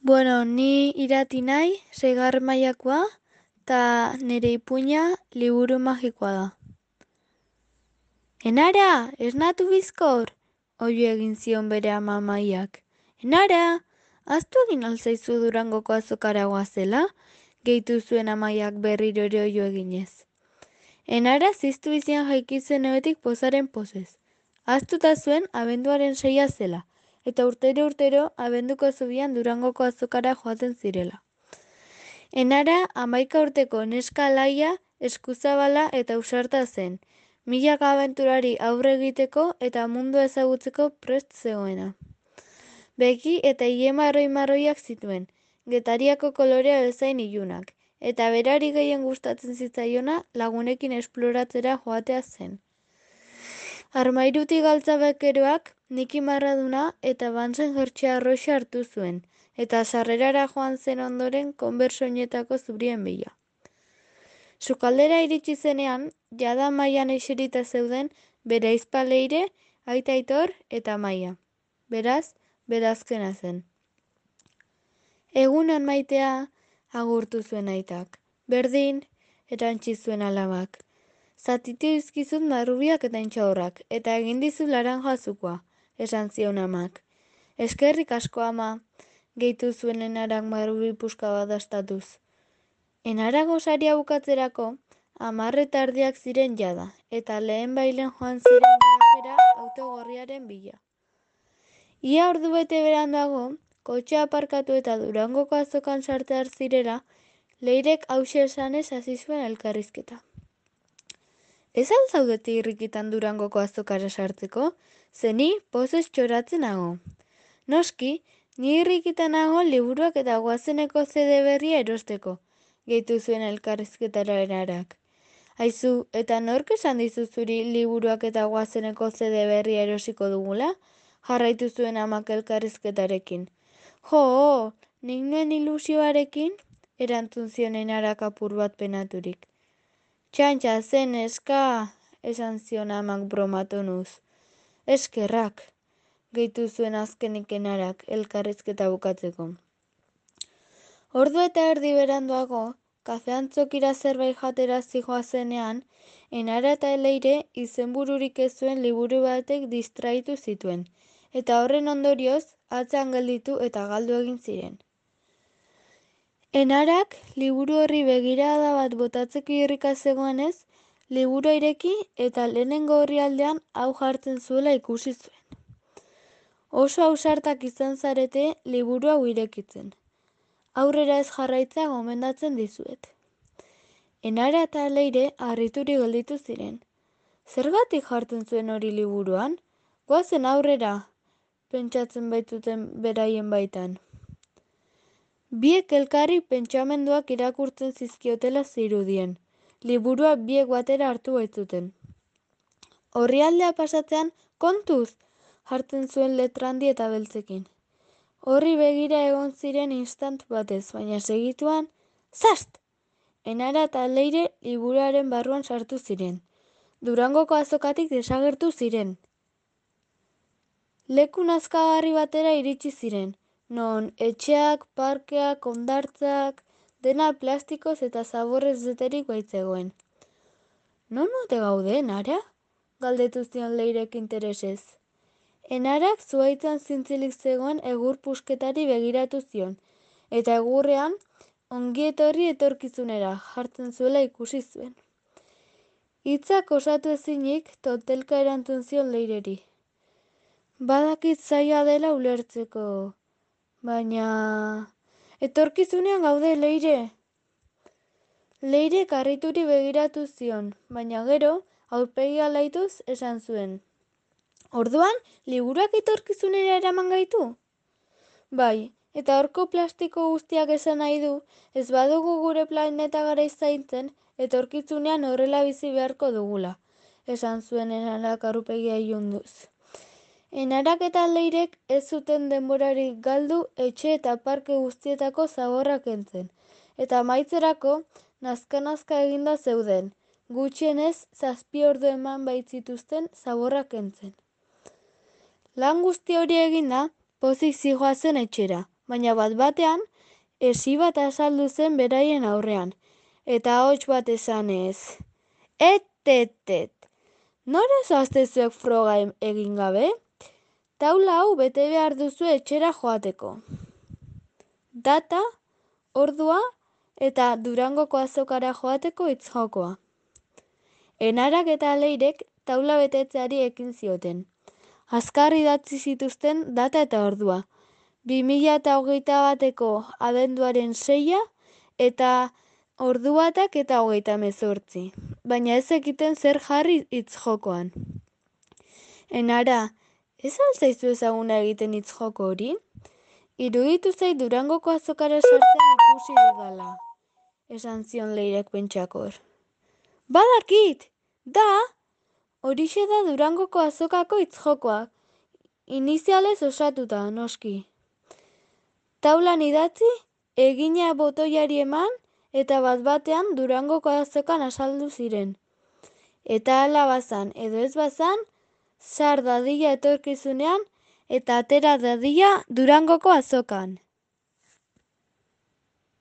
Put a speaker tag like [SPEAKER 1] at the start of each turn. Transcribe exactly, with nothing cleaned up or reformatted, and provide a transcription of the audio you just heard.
[SPEAKER 1] Bueno, ni irati nahi, seigarren mailakoa, eta nire ipuina liburu magikoa da. Enara, esnatu bizkor, oio egin zion bere ama amaiak. Enara, aztu egin alzaizu Durangoko azokara goazela, gehitu zuen amaiak berriro ere oio eginez. Enara ziztu izian jaikitzen ebetik pozaren pozez. Aztuta zuen abenduaren seia zela, eta urtero urtero abenduko zubian Durangoko azokara joaten zirela. Enara hamaika urteko neska alaia, eskuzabala eta ausarta zen, milaka abenturari aurre egiteko eta mundu ezagutzeko prest zegoena. Beki eta ile marroi-marroiak zituen, Getariako kolorea bezain ilunak, eta berari gehien gustatzen zitzaiona lagunekin esploratzera joatea zen. Armairutik galtza bekeroak Niki Marraduna eta Bansen jertxea arroxa hartu zuen, eta sarrerara joan zen ondoren konbersoinetako zurien bila. Sukaldera iritsi zenean, jada maian eserita zeuden bere aizpa Leire, aita Aitor eta Maia. Beraz, berazkena zen. Egunon maitea, agurtu zuen aitak. Berdin, erantzi zuen alabak. Zatitu dizkizut marrubiak eta intxaurrak, eta egin dizu laranja azukoa, esan zion amak. Eskerrik asko ama, gehitu zuen Enarak marrubi puska bat dastatuz. Enara gosaria bukatzerako, hamarreta erdiak ziren jada, eta lehen bailen joan ziren garajera autogorriaren bila. Ia ordu bete beranduago, kotxea aparkatu eta Durangoko azokan sartear zirela, Leirek hause esanez hasi zuen elkarrizketa. Ez al zaudete irrikitan Durangoko azokara sartzeko, zeni pozez txoratzen nago. Noski, ni irrikitan nago liburuak eta goazeneko zede berria erosteko, gehitu zuen elkarrizketara Enarak. Aizu, eta nork esan dizu zuri liburuak eta goazeneko zede berria erosiko dugula? Jarraitu zuen amak elkarrizketarekin. Jo, nik nuen ilusioarekin, erantzun zion Enarak apur bat penaturik. Txantxa zen eska, esan zion amak bromatonuz. Eskerrak, gehitu zuen azkenik Enarak elkarrizketa bukatzeko. Ordu eta erdi beranduago, kafeantzokira zerbait jatera zihoazenean, Enara eta Leire izenbururik ez zuen liburu batek distraitu zituen, eta horren ondorioz, atzean gelditu eta galdu egin ziren. Enarak, liburu horri begirada bat botatzeko irrika zegoenez, liburu ireki eta lehenengo orrialdean hau jartzen zuela ikusi zuen. Oso ausartak izan zarete liburu hau irekitzen. Aurrera ez jarraitza gomendatzen dizuet. Enara eta Leire harrituri gelditu ziren. Zergatik jartzen zuen hori liburuan? Goazen aurrera, pentsatzen baitzuten beraien baitan. Biek elkarri pentsamenduak irakurtzen zizkiotela zirudien. Liburua biek batera hartu baitzuten. Orrialdea pasatzean, kontuz, jartzen zuen letrandi eta beltzekin. Horri begira egon ziren instant batez, baina segituan, zast! Enara eta Leire liburuaren barruan sartu ziren. Durangoko azokatik desagertu ziren. Leku nazkagarri batera iritsi ziren, non etxeak, parkeak, hondartzak, dena plastikoz eta zaborrez beterik baitzegoen. Non ote gaude, Enara? Galdetu zion Leirek interesez. Enarak zuhaitzan zintzilik zegoen egur pusketari begiratu zion, eta egurrean ongi etorri etorkizunera jartzen zuela ikusi zuen. Hitzak osatu ezinik totelka erantzun zion Leireri. Badakit zaila dela ulertzeko, baina... Etorkizunean gaude, Leire! Leirek harrituri begiratu zion, baina gero, aurpegia laituz esan zuen. Orduan, liburuak etorkizunera eraman gaitu? Bai, eta horko plastiko guztiak esan nahi du, ez badugu gure planeta garaiz zaintzen, etorkizunean horrela bizi beharko dugula, esan zuen Enarak aurpegia ilunduz. Enarak eta Leirek ez zuten denborarik galdu etxe eta parke guztietako zaborrak kentzen, eta amaitzerako nazka-nazka eginda zeuden, gutxienez zazpi ordu eman baitzituzten zaborrak kentzen. Lan guzti hori eginda, pozik zihoazen etxera, baina bat batean, esi bat azaldu zen beraien aurrean, eta ahots bat esanez. Et, et, et, nora zoazte zuek froga egin gabe? Taula hau bete behar duzu etxera joateko. Data, ordua eta Durangoko azokara joateko hitzjokoa. Enarak eta Leirek taula betetzeari ekin zioten. Azkar idatzi zituzten data eta ordua. bi mila eta hogeita bateko abenduaren seia eta ordu batak eta hogeita hemezortzi. Baina ez ekiten zer jarri hitzjokoan. Enara, ez altzaizu ezaguna egiten hitzjoko hori? Iruditu zait Durangoko azokara sartzen ikusi dudala, esan zion Leirek pentsakor. Badakit, da, horixe da Durangoko azokako hitzjokoa, inizialez osatuta, noski. Taulan idatzi, egina botoiari eman, eta bat batean Durangoko azokan azaldu ziren. Eta hala bazan edo ez bazan, sar dadila etorkizunean eta atera dadila Durangoko azokan.